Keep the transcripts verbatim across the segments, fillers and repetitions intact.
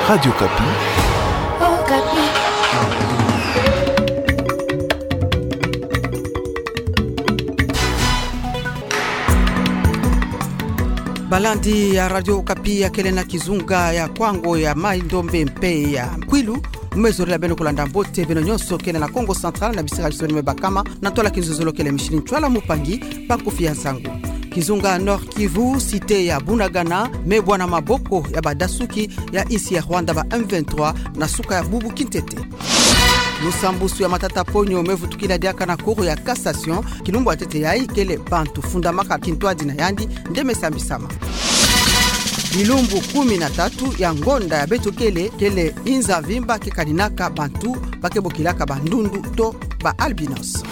Radio Okapi. Okapi. Balandi ya Radio Okapi ya kele na kizunga ya Kwango, ya Mai-Ndombe mpe ya Kwilu, me zolele beno kulanda mbote beno nyonso kele na Kongo Central na bisika bisoni me bakama, na ntwala kinzonzolo kele mishini ntwala mupangi, bankufi ya nsangu. Kizunga Nord-Kivu, cité ya Bunagana, me bwana maboko ya badasuki ya insi ya Rwanda ba M vingt-trois na suka ya bubu kintete. Lusambusu ya matata ponyo me vutukila diaka na Cour ya Cassation, kilumbu ya ntete yayi kele bantu fundamaka kintwadi na yandi nde me sambisama. Bilumbu kumi na tatu ya ngonda ya beto kele, kele inza mvimba ke kaninaka bantu ba ke bokilaka bandundu to ba albinos.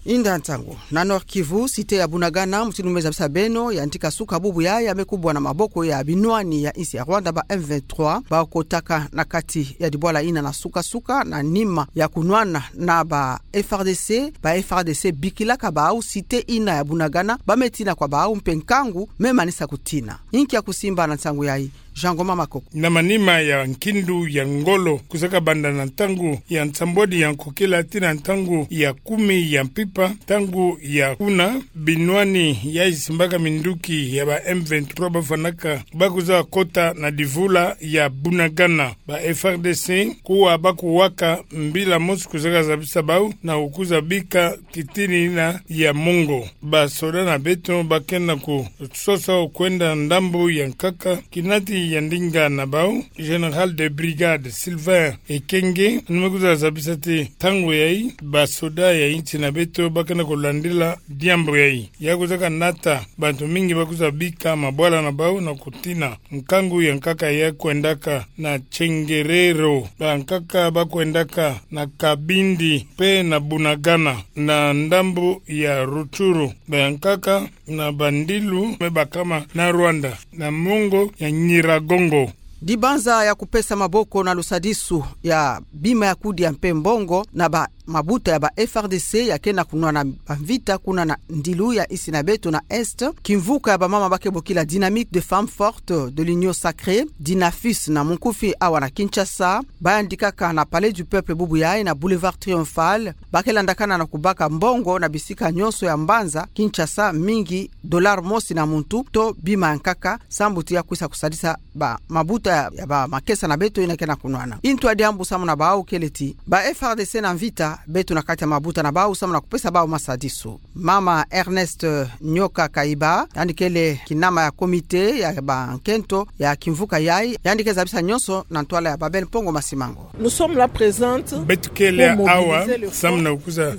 Inda ntangu. Na Nord-Kivu, cité ya Bunagana, mutindu me zabisa beno, ya ntika suka bubu yayi me kubwa na maboko ya binwani ya insi ya Rwanda ba M vingt-trois, ba kotaka na kati ya dibwala ina na suka-suka, na nima ya kunwana na ba F R D C, ba F R D C bikilaka bawu cité ina ya Bunagana, ba me tina kwa bawu mpe nkangu me manisa kutina. Inki ya kusimba na nsangu yayi? Jean Ngoma Makoko. Na manima ya nkindu ya ngolo, kwizaka banda na ntangu ya nsambwadi ya nkokila tii na ntangu ya kumi ya mpimpa, ntangu ya kuna, binwani yayi simbaka minduki ya ba M vingt-trois bafwanaka, ba kwiza kota na divula ya Bunagana. Ba F R D C kuwa ba kuwaka mbila mosi kwizaka zabisa bawu na kukwiza bika kitini ina ya mongo. Ba soda na beto ba ke na kusosa kwenda ndambu ya nkaka, kinati ya ndinga na bawu, Général de brigade Sylvain Ekenge, yandi me kwiza zabisa ti ntangu yayi, ba soda ya insi na beto ba ke na kulandila diambu yayi. Ya kwizaka nata bantu mingi ba kwiza bika mabwala na bawu na kutina. Nkangu ya nkaka ya kwendaka na Chengerero, ba nkaka ba kwendaka na Kabindi mpe na Bunagana, na ndambu ya Rutshuru, ba nkaka na bandilu me bakama na Rwanda, na mongo ya Nyiragongo. Dibanza ya kupesa maboko na lusadisu ya bima ya kudia mpe mbongo na ba mabuta ya ba F R D C ya ke na kunwana bamvita kuna na ndilu ya insi na beto na Est, kimvuka ya bamama ba ke bokila Dynamique de Femmes Fortes de l'Union Sacrée, Dynafus na munkufi awa na Kinshasa, ba yandikaka na Palais du Peuple bubu yayi na Boulevard Triomphal, ba ke landakana na kubaka mbongo na bisika nyonso ya mbanza Kinshasa, mingi dollar mosi na muntu to bima ya nkaka, sambu ti ya kwisa kusadisa ba mabuta ya, ya ba makesa na beto ina ke na kunwana. Intu ya diambu samu na bawu kele ti ba F R D C na mvita beto na kati ya mabuta na bawu samu na kupesa bawu masadisu. Mama Ernest Nyoka Kaiba, yandi kele kinama ya comité ya ba nkento ya kimvuka yayi, yandi ke zabisa nyonso na ntwala ya Babel Mpongo Masimango. Nous sommes là présentes. Beto kele awa samu na kwiza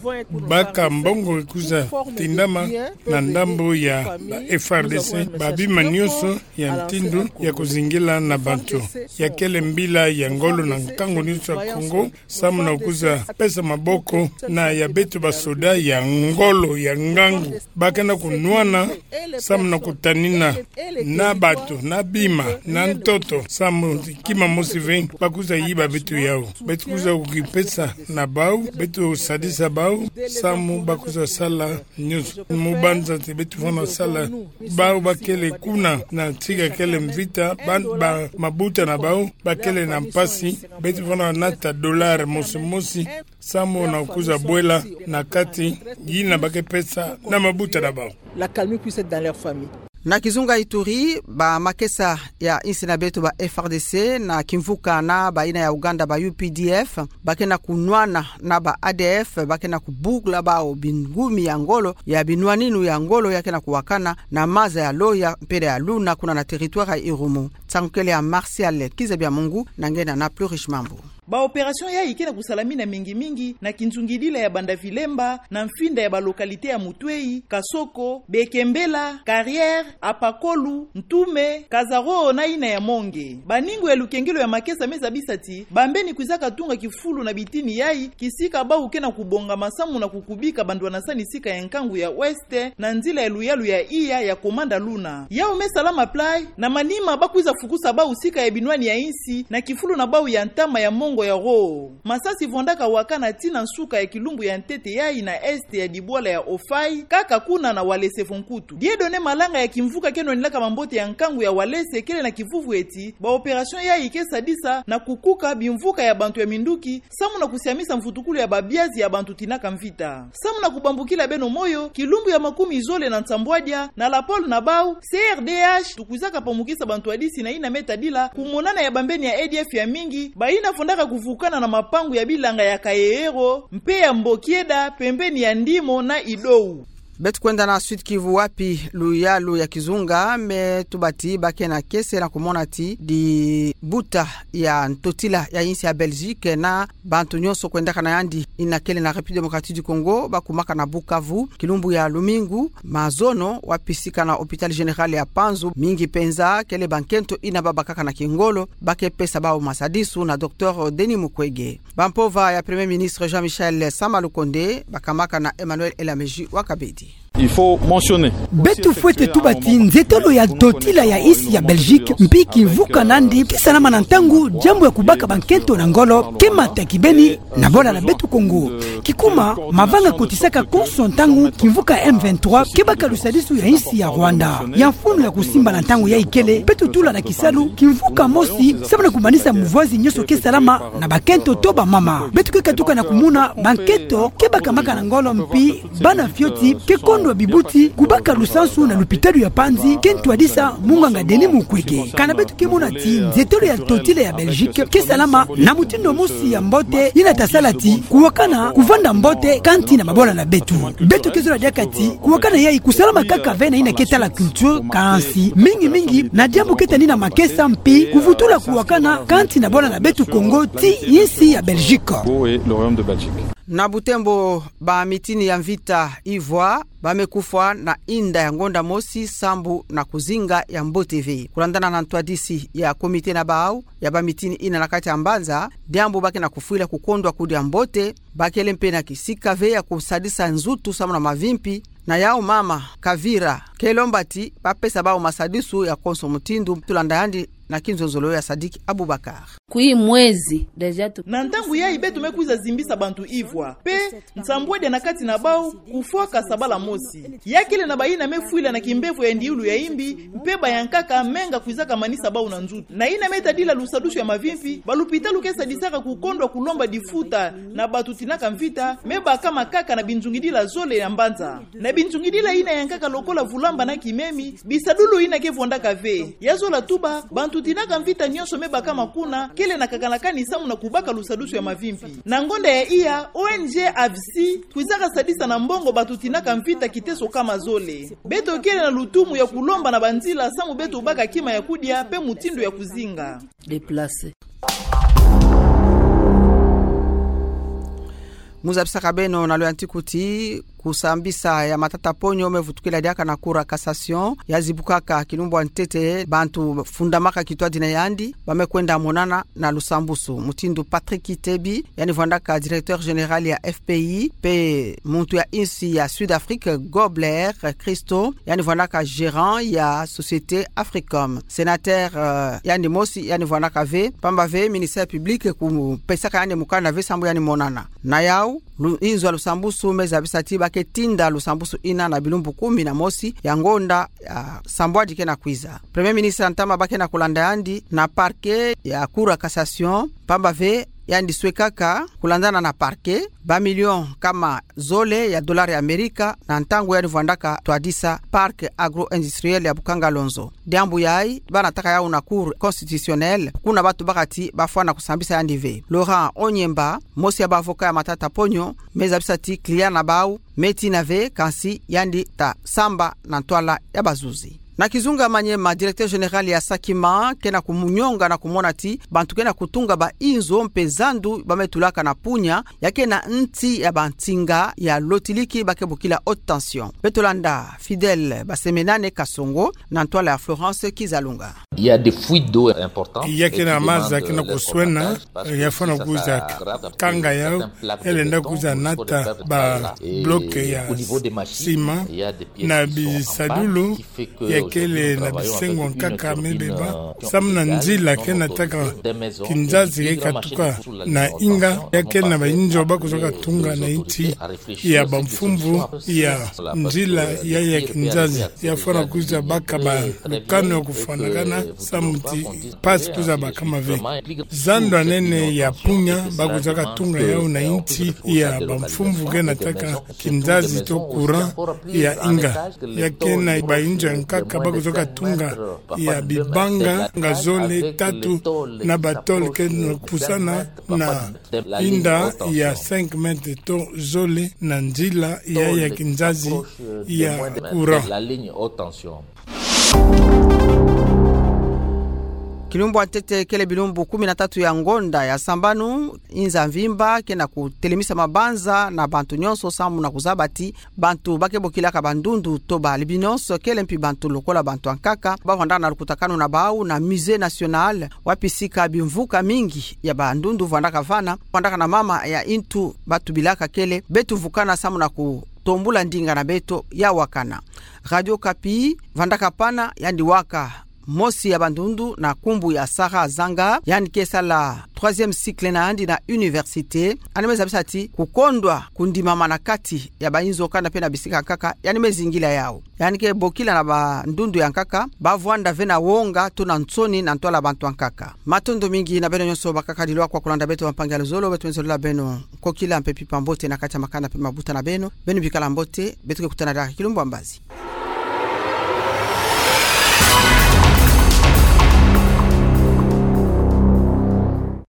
baka mbongo kwiza tindama na ndambu ya ba F R D C, ba bima nyonso ya ntindu ya kuzingila na bantu. Ya kele mbila ya ngolo na nkangu nyonso ya Kongo, samu na kwiza pesa maboko na ya beto ba soda ya ngolo ya ngangu. Ba ke na kunwana samu na kutanina na bantu, na bima, na ntoto, samu kima mosi ve ba kwiza yiba beto yawu. Beto kwiza kukipesa na bawu, beto sadisa bawu, samu ba kwiza sala nyonso. Mu banza ti beto fwana sala, bawu ba kele kuna na tika kele mvita, ba, ba mabuta na bawu ba kele na mpasi, beto fwana nata dollar mosi mosi, samu na kwiza bwela na kati yina ba ke pesa na mabuta na bawu. La calme puisse être dans leur famille. Na kizunga Ituri, ba makesa ya insi na beto ba F R D C na kimvuka na ba ina ya Uganda ba U P D F, ba ke na kunwana na ba A D F, ba ke na kubukula bawu bingumi ya ngolo, ya binwaninu ya ngolo ya ke na kuwakana na maza ya Loya mpe ya Luna kuna na territoire ya Irumu. Nsangu kele ya Martial Kiza Bya Mungu na nge na na Plus Riche Mambu. Ba opération yayi ke na kusalamina mingi-mingi na kinzungidila ya Banda Vilemba, na mfinda ya ba localité ya Mutweyi, Kasoko, Bekembela, Carrière, Apakolu, Ntume, Kazaro na ina ya Monge. Baningo ya lukengelo ya makesa me zabisa ti bambeni kwizaka tunga kifulu na bitini yayi, kisika bawu ke na kubongama samu na kukubika bandwanasani sika ya nkangu ya Ouest, na nzila ya luyalu ya iya ya Komanda Luna. Yawu me salama mpasi, na manima ba kwiza fukusa bawu sika ya binwani ya insi, na kifulu na bawu ya ntama ya mongo ya Roo. Masasi vwandaka wakana tii na nsuka ya kilumbu ya ntete yayi na est ya dibwala ya Ofai, kaka kuna na Walese-Fonkutu. Dieudonné Malanga ya kimvuka ke nwanilaka mambote ya nkangu ya Walese kele na kivuvu eti, ba opération yayi ke sadisa na kukuka bimvuka ya bantu ya minduki, samu na kusiamisa mvutukulu ya babiazi ya bantu tinaka mvita. Samu na kubambukila beno moyo, kilumbu ya makumi zole na nsambwadia, na lapole na bau, C R D H, tukwizaka pamukisa bantwadisi na yina me tadila kumonana ya bambeni ya A D F ya mingi, bayina fondaka kuvukana na mapangu ya bilanga ya Kayeyewo, mpe ya Mbokieda, pembeni ya Ndimo na Idou. Beto kwenda na Sud-Kivu, wapi luyalu ya kizunga me tuba ti ba ke na kiese na kumona ti dibuta ya ntotila ya insi ya Belgique na bantu nyonso kwendaka na yandi yina kele na République Démocratique du Congo, ba kumaka na Bukavu, kilumbu ya lumingu, mazono, wapi sika na Hôpital Général ya Panzu, mingi penza kele bankento yina babakaka na kingolo, ba ke pesa bau masadisu na Docteur Denis Mukwege. Bampova ya Premier Ministre Jean-Michel Sama Lukonde, bakamaka na Emmanuel Elameji wa Kabedi. Il faut mentionner. Beto fwete tuba ti nzetolo ya ntotila ya insi ya Belgique, mpi kimvuka nandi, ke salama na ntangu diambu ya kubaka bankento na ngolo ke mata kibeni na bola na beto Congo. Kikuma, mavanga kotisaka konso ntangu kimvuka M vingt-trois ke baka lusadisu ya insi ya Rwanda. Ya mfunu ya kusimba na ntangu yayi kele, beto tula na kisalu kimvuka mosi, samu na kumanisa muvazi nyonso ke salama na bakento to bamama. Beto ke katuka na kumona bankento ke bakamaka na ngolo mpi bana fioti ke kondwa bibuti kubaka lusansu na lupitalu ya Panzi, ke ntwadisa munganga Denis Mukwege. Kana beto ke mona ti nzetolo ya ntotila ya Belgique ke salama na mutindu mosi ya mbote, yina ta sala ti kuwakana kuvanda mbote kati na mabola na beto. Beto ke zola diaka ti kuwakana yayi kusalama kaka ve na yina ke tala culture, kansi mingi mingi na diambu ke tani na makesa mpi kuvutula kuwakana kati na bola na beto Congo ti insi ya Belgique. Congo et le Royaume de Belgique. Na Butembo, bamitini ya mvita ivwa ba me kufwa na inda ya ngonda mosi sambu na kuzinga ya mbote ve. Kulandana na ntwadisi ya comité na bau ya bamitini yina na kati ya mbanza, diambu ba ke na kufwila kukondwa kudia mbote, ba kele mpe na kisika ve ya kusadisa nzutu samu na mavimpi. Na yau mama Kavira ke lomba ti ba pesa bau masadisu ya konso mutindu, tulanda yandi na kinzonzolo ya Sadiki Abubakar. Kui mwezi déjà tu- Na ntangu yayi beto me kwiza zimbisa bantu ivwa, mpe nsambwadia na kati na bau kufwaka sabala mosi. Ya kele na bayina me fwila na kimbevo ya ndiulu ya imbi, mpe bayankaka menga kwizaka manisa bau na nzutu. Na yina me tadila lusadusu ya mavimpi, balupitalu ke sadisaka kukondwa kulomba difuta na bantu tinaka mvita, me bakama kaka na binzungidila zole ya mbanza. Na binzungidila yina yankaka lokola vulamba na kimemi, bisadulu yina ke vwandaka ve. Ya zola tuba, bantu tinaka mvita nyonso me bakama kuna, kele na kakana kani samu na kubaka lusadusu ya mavimpi. Na ngonda ya iya, O N G A V C kwizaka sadisa na mbongo bantu tinaka mvita kiteso kama zole. Beto kele na lutumu ya kulomba na banzila samu beto baka kima ya kudia mpe mutindu ya kuzinga. Déplacer. Mu zabisaka beno na loyantiku ti kusambisa ya matata-ponyo me vutukila diaka na Cour ya cassation, ya zibukaka kilumbu ya ntete, bantu fundamaka kitwadi na yandi ba me kwenda monana na lusambusu. Mutindu Patrick Kitebi, yandi vwandaka directeur général ya F P I, mpe muntu ya insi ya Sud-Afrique, Gobler Christo, yandi vwandaka gérant ya société Africom. Sénateur, euh, yandi mosi, yandi vwandaka ve, pamba ve ministère public kupesaka yandi mukanda ve sambu yandi monana. Na yau, lu-, inzo ya lusambusu me zabisa ti ba ke tinda lusambusu yina na bilumbu kumi na mosi ya ngonda ya sambwadi ke na kwiza. Premier ministre ya ntama ba ke na kulanda yandi na parquet ya Cour ya cassation, pamba ve yandi swekaka kulandana na parquet, ba million kama zole ya dollar ya Amerika na ntangu yandi vwandaka twadisa parc agro-industriel ya Bukangalonzo. Diambu yayi, ba nataka yau na Cour constitutionnelle, kuna ba tubaka ti ba fwana kusambisa yandi ve. Laurent Onyemba, mosi ya ba avocat ya matata-ponyo, me zabisa ti client na bau me tina ve, kansi yandi ta samba na ntwala ya bazuzi. Na kizunga Maniema, directeur général ya Sakima ke na kumunyonga na kumona ti bantu ke na kutunga ba inzo mpe zandu ba me tulaka na Punya, ya ke na nti ya bansinga ya lotiliki ba ke bokila haute tension. Beto landa Fidèle Basemenane Kasongo na ntwala ya Florence Kizalunga. Il y a des fuites d'eau importantes. Ya ke na maza ke na kuswena, ya fwana kwiza kanga yau, ya lenda kwiza nata ba bloc ya sima, na bisadulu ya kele na bisengo nkaka me beba, samu na nzila ke nataka kinzazi ke katuka na inga, ya kele na bayinzo ba kuzaka tunga na inti ya bamfumvu ya nzila ya ya kinzazi, ya fwana kwiza baka ba lukanu ya kufwanakana, samu ti mpasi kwiza baka mave. Zando anene ya punya ba kuzaka tunga yau na inti ya bamfumvu ke nataka kinzazi to courant ya inga. Ya kele na bayinzo ya nkaka ba kuzaka tunga ya bibanga nga zole tatu na batole ke napusana na inda ya cinq mètres to zole na nzila ya ya kinzazi ya courant. Kilumbu ya ntete kele bilumbu kumi na tatu ya ngonda ya sambanu, inza mvimba ke na kutelemisa mabanza na bantu nyonso samu na kuzaba ti bantu ba ke bokilaka bandundu to ba albinos, kele mpi bantu lokola bantu ya nkaka, ba vandaka na lukutakanu na bau na Musée National, wapi sika bimvuka mingi ya bandundu vandaka vana, vandaka na mama ya intu ba tubilaka kele beto mvukana samu na kutombula ndinga na beto ya wakana. Radio Okapi vandaka pana yandi waka mosi ya bandundu na nkumbu ya Sarah Zanga, yandi ke sala troisième cycle na yandi na université. Yandi me zabisa ti kukondwa kundimama na kati ya bayinzo kana mpe na bisika nkaka, yandi me zingila yau. Yandi ke bokila na bandundu ya nkaka ba vwanda ve na wonga to na nsoni na ntwala bantu ya nkaka. Matondo mingi na beno nyonso bakaka dilwa kwa kulanda beto bampangi ya luzolo, beto me zolila beno nkokila mpe mpimpa mbote na kati ya makanda mpe mabuta na beno. Beno bikala mbote, beto ke kutana diaka kilumbu ya mbazi.